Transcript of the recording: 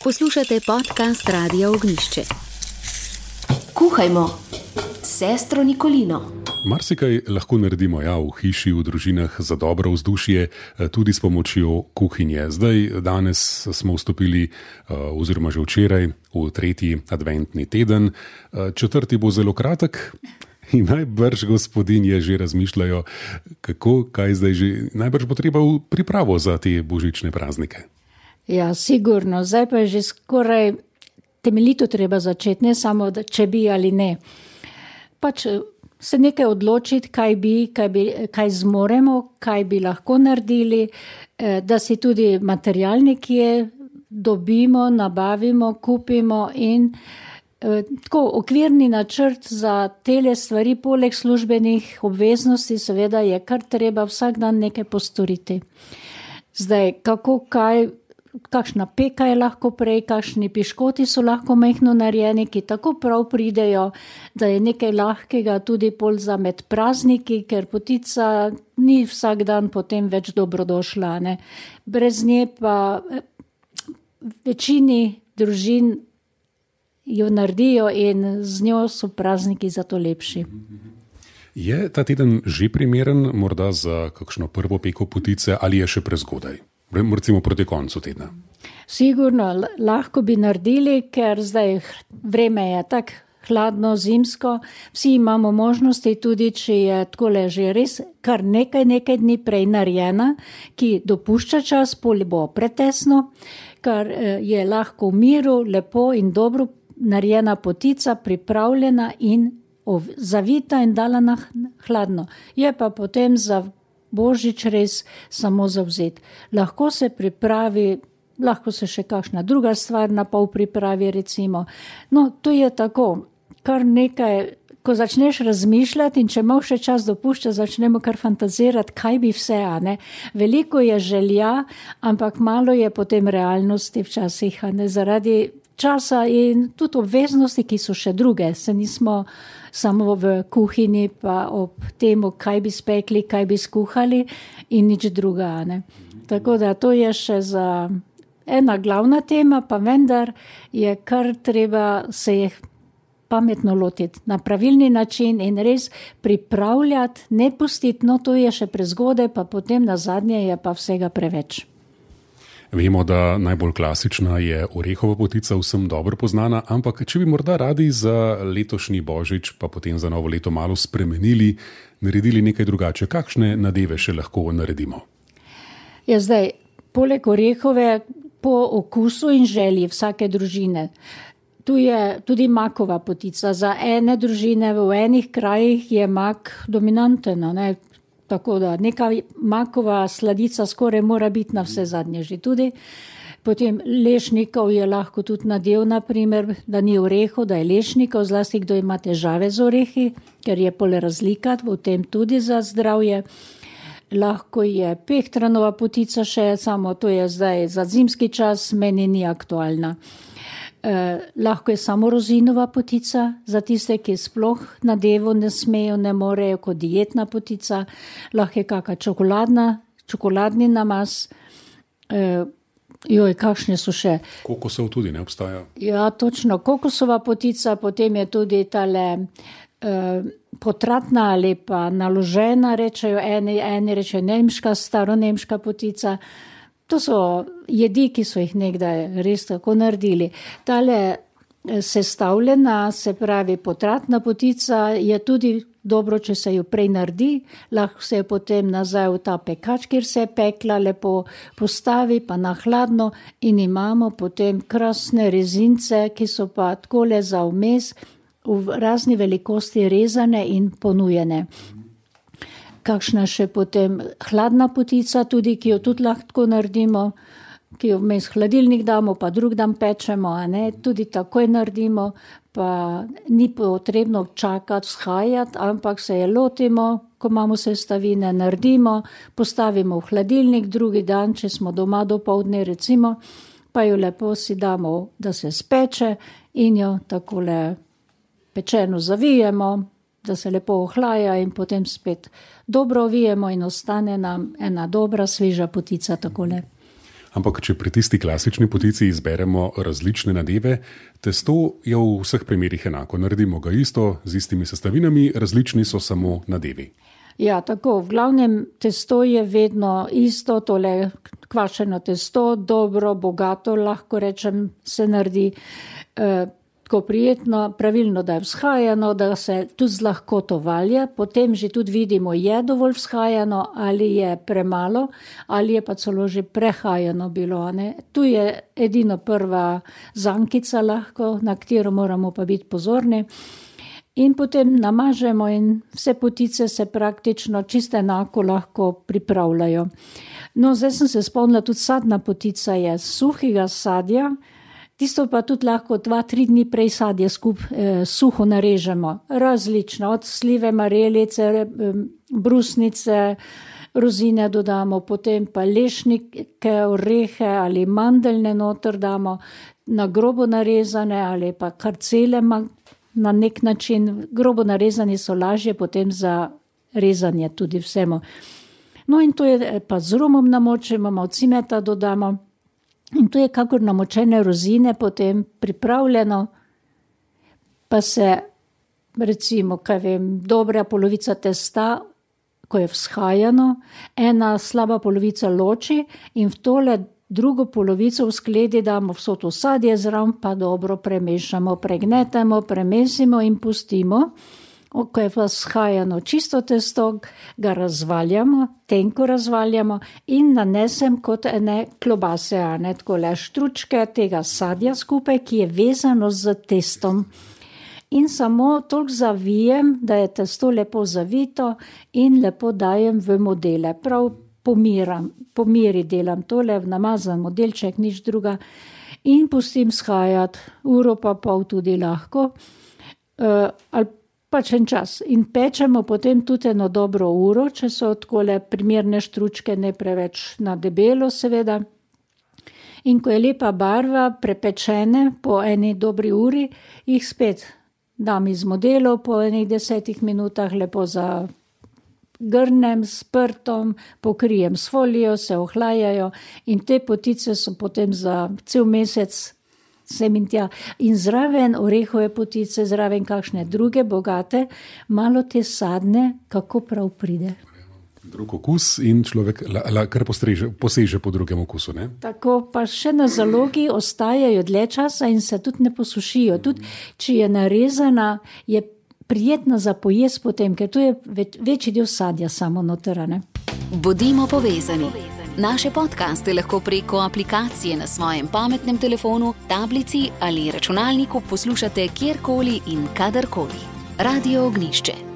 Poslušate podcast Radia Ognjišče. Kuhajmo s sestro Nikolino. Marsikaj lahko naredimo v hiši, v družinah za dobro vzdušje, tudi s pomočjo kuhinje. Danes smo vstopili, oziroma že včeraj, v 3. adventni teden. 4. bo zelo kratek in najbrž gospodinje že razmišljajo, kaj zdaj že. Najbrž bo treba v pripravo za te božične praznike. Ja, sigurno. Zdaj pa je že skoraj temeljito treba začeti, ne samo, če bi ali ne. Pač se nekaj odločiti, kaj zmoremo, kaj bi lahko naredili, da si tudi material nekje dobimo, nabavimo, kupimo in tako okvirni načrt za tele stvari, poleg službenih obveznosti, seveda je kar treba vsak dan nekaj postoriti. Zdaj, kakšna peka je lahko prej, kakšni piškoti so lahko majhno narejeni, ki tako prav pridejo, da je nekaj lahkega tudi pol za med prazniki, ker potica ni vsak dan potem več dobrodošla, ne. Brez nje pa večini družin jo naredijo in z njo so prazniki zato lepši. Je ta teden že primeren morda za kakšno prvo peko potice ali je še prezgodaj? Recimo proti koncu tedna. Sigurno, lahko bi naredili, ker zdaj vreme je tako hladno, zimsko. Vsi imamo možnosti, tudi če je takole že res kar nekaj dni prej narejena, ki dopušča čas, pol bo pretesno, kar je lahko v miru, lepo in dobro narejena potica, pripravljena in zavita in dala na hladno. Je pa potem za Božič res samo zavzet. Lahko se pripravi, lahko se še kakšna druga stvar na pol pripravi recimo. No, to je tako, kar nekaj, ko začneš razmišljati in če malo še čas dopušča, začnemo kar fantazirati, kaj bi vse, a ne. Veliko je želja, ampak malo je potem realnosti včasih, a ne, zaradi časa in tudi obveznosti, ki so še druge, se nismo samo v kuhinji pa ob temu, kaj bi spekli, kaj bi skuhali in nič druga, ne. Tako da to je še za ena glavna tema, pa vendar je kar treba se jih pametno lotiti na pravilni način in res pripravljati, ne pustiti, no to je še prezgodaj, pa potem na zadnje je pa vsega preveč. Vemo, da najbolj klasična je orehova potica, vsem dobro poznana, ampak če bi morda radi za letošnji Božič, pa potem za novo leto malo spremenili, naredili nekaj drugače, kakšne nadeve še lahko naredimo? Ja, zdaj, poleg orehove, po okusu in želji vsake družine, tu je tudi makova potica. Za ene družine v enih krajih je mak dominanten, ne. Tako da neka makova sladica skoraj mora biti na vse zadnje že tudi. Potem lešnikov je lahko tudi nadev, naprimer, da ni orehov, da je lešnikov, zlasti kdo ima težave z orehi, ker je pol razlika v tem tudi za zdravje. Lahko je pehtranova potica še, samo to je zdaj za zimski čas, meni ni aktualna. Lahko je samo rozinova potica, za tiste, ki sploh nadevo ne smejo, ne morejo, kot dietna potica. Lahko je kakšna čokoladni namaz. Kakšne so še? Kokosov tudi ne obstaja. Ja, točno, kokosova potica, potem je tudi tale potratna ali pa naložena, rečejo eni rečejo nemška, staronemška potica. To so jedi, ki so jih nekdaj res tako naredili. Tale sestavljena, se pravi potratna potica, je tudi dobro, če se jo prej naredi, lahko se jo potem nazaj v ta pekač, kjer se je pekla, lepo postavi, pa na hladno in imamo potem krasne rezince, ki so pa takole za vmes v razni velikosti rezane in ponujene. Kakšna še potem hladna potica, tudi, ki jo tudi lahko naredimo, ki jo vmes hladilnik damo, pa drug dan pečemo, a ne, tudi takoj naredimo, pa ni potrebno čakati, vzhajati, ampak se je lotimo, ko imamo sestavine, naredimo, postavimo v hladilnik, drugi dan, če smo doma dopoldne recimo, pa jo lepo si damo, da se speče in jo takole pečeno zavijemo, da se lepo ohlaja in potem spet dobro ovijemo in ostane nam ena dobra, sveža potica takole. Ampak, če pri tisti klasični potici izberemo različne nadeve, testo je v vseh primerih enako. Naredimo ga isto, z istimi sestavinami, različni so samo nadevi. Ja, tako, v glavnem testo je vedno isto, tole kvašeno testo, dobro, bogato, lahko rečem, se naredi tako prijetno, pravilno, da je vzhajano, da se tudi z lahkoto valja, potem že tudi vidimo, je dovolj vzhajano ali je premalo, ali je pa celo že prehajano bilo. Ne? Tu je edino prva zankica lahko, na katero moramo pa biti pozorni. In potem namažemo in vse potice se praktično čisto enako lahko pripravljajo. No, zdaj sem se spomnila, tudi sadna potica je suhega sadja, tisto pa tudi lahko 2-3 dni prej sadje suho narežemo. Različno, od slive, marelice, brusnice, rozine dodamo, potem pa lešnike, orehe ali mandeljne noter damo, na grobo narezane ali pa kar cele na nek način, grobo narezani so lažje potem za rezanje tudi vsemu. No in to je pa z rumom namočimo, malo cimeta dodamo in to je kakor namočene rozine potem pripravljeno, pa se recimo, kaj vem, dobra polovica testa, ko je vzhajano, ena slaba polovica loči in v tole drugo polovico v skledi damo vso to sadje zraven, pa dobro premešamo, pregnetemo, premesimo in pustimo. Ko je vzhajano čisto testo, ga razvaljamo, tenko razvaljamo in nanesem kot ene klobase, takole štručke tega sadja skupaj, ki je vezano z testom. In samo toliko zavijem, da je testo lepo zavito in lepo dajem v modele. Prav po meri delam tole, namazan modelček, nič druga in pustim shajati, uro pa pol tudi lahko, ali pač en čas. In pečemo potem tudi eno dobro uro, če so takole primerne štručke, ne preveč na debelo seveda. In ko je lepa barva, prepečene po eni dobri uri, jih spet dam iz modelov, po enih 10 minutah lepo grnem s prtom, pokrijem s folijo, se ohlajajo in te potice so potem za cel mesec sem in tja. In zraven orehove potice, zraven kakšne druge bogate, malo te sadne, kako prav pride. Drug okus in človek kar poseže po drugem okusu. Ne? Tako pa še na zalogi ostajajo dlje časa in se tudi ne posušijo. Tudi, če je narezana, je prijetna za pojest potem, ker to je večji del sadja samo noterane. Bodimo povezani. Naše podcaste lahko preko aplikacije na svojem pametnem telefonu, tablici ali računalniku poslušate kjerkoli in kadarkoli. Radio Ognjišče.